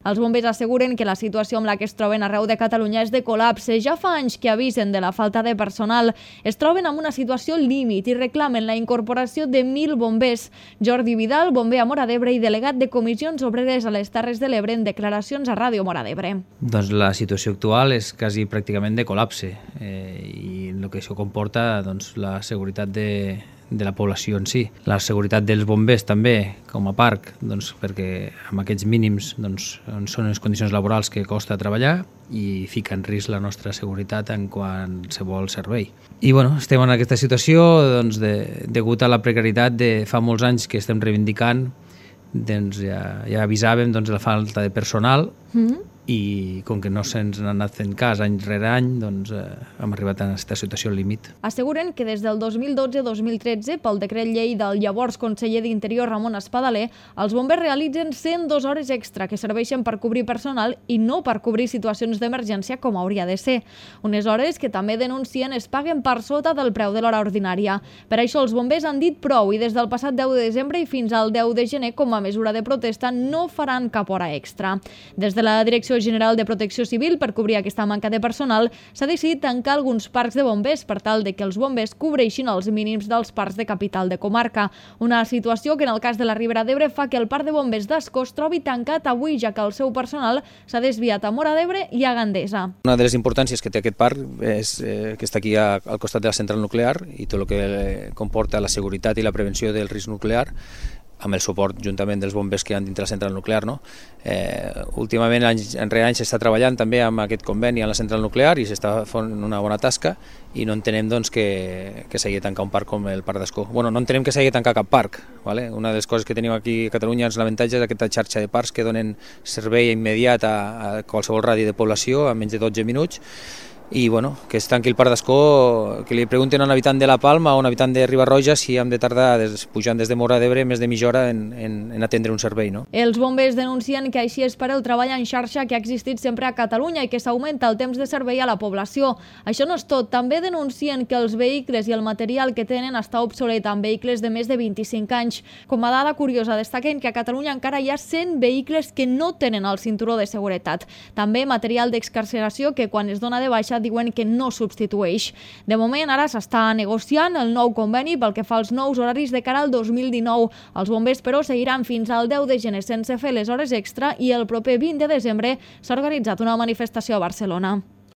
Els bombers asseguren que la situació amb la que es troben arreu de Catalunya és de col·lapse. Ja fa anys que avisen de la falta de personal. Es troben en una situació límit i reclamen la incorporació de 1.000 bombers. Jordi Vidal, bomber a Móra d'Ebre i delegat de comissions obreres a les Terres de l'Ebre, en declaracions a Ràdio Móra d'Ebre. Doncs la situació actual és quasi pràcticament de col·lapse i el que això comporta la seguretat de la població en si. La seguretat dels bombers també, com a parc, perquè amb aquests mínims són les condicions laborals que costa treballar i fica en risc la nostra seguretat en qualsevol servei. I estem en aquesta situació degut a la precarietat de fa molts anys que estem reivindicant. Ja avisàvem de la falta de personal i com que no se'ns n'ha anat fent cas any rere any, hem arribat a aquesta situació límit. Asseguren que des del 2012-2013, pel decret llei del llavors conseller d'Interior Ramon Espadaler, els bombers realitzen 102 hores extra que serveixen per cobrir personal i no per cobrir situacions d'emergència com hauria de ser. Unes hores que també denuncien es paguen per sota del preu de l'hora ordinària. Per això els bombers han dit prou i des del passat 10 de desembre i fins al 10 de gener, com a mesura de protesta, no faran cap hora extra. Des de la Direcció General de Protecció Civil, per cobrir aquesta manca de personal, s'ha decidit tancar alguns parcs de bombers per tal de que els bombers cobreixin els mínims dels parcs de capital de comarca. Una situació que en el cas de la Ribera d'Ebre fa que el parc de bombers d'Ascó es trobi tancat avui, ja que el seu personal s'ha desviat a Móra d'Ebre i a Gandesa. Una de les importàncies que té aquest parc és que està aquí al costat de la central nuclear i tot el que comporta la seguretat i la prevenció del risc nuclear, amb el suport juntament dels bombers que hi ha dintre la central nuclear. Últimament, enrere anys, s'està treballant també amb aquest conveni a la central nuclear i s'està fent una bona tasca i no entenem que s'hagi de tancar un parc com el Parc d'Ascó. No entenem que s'hagi de tancar cap parc. Una de les coses que tenim aquí a Catalunya és l'avantatge d'aquesta xarxa de parcs que donen servei immediat a qualsevol radi de població en menys de 12 minuts. I que es tanqui el Parc d'Ascó, que li pregunten a un habitant de La Palma o a un habitant de Riba-roja si hem de tardar, pujant des de Móra d'Ebre, més de mitja hora en atendre un servei. Els bombers denuncien que així és per el treball en xarxa que ha existit sempre a Catalunya i que s'augmenta el temps de servei a la població. Això no és tot. També denuncien que els vehicles i el material que tenen està obsolet amb vehicles de més de 25 anys. Com a dada curiosa, destaquen que a Catalunya encara hi ha 100 vehicles que no tenen el cinturó de seguretat. També material d'excarceració que quan es dona de baixa diuen que no substitueix. De moment, ara s'està negociant el nou conveni pel que fa als nous horaris de cara al 2019. Els bombers, però, seguiran fins al 10 de gener sense fer les hores extra i el proper 20 de desembre s'ha organitzat una manifestació a Barcelona.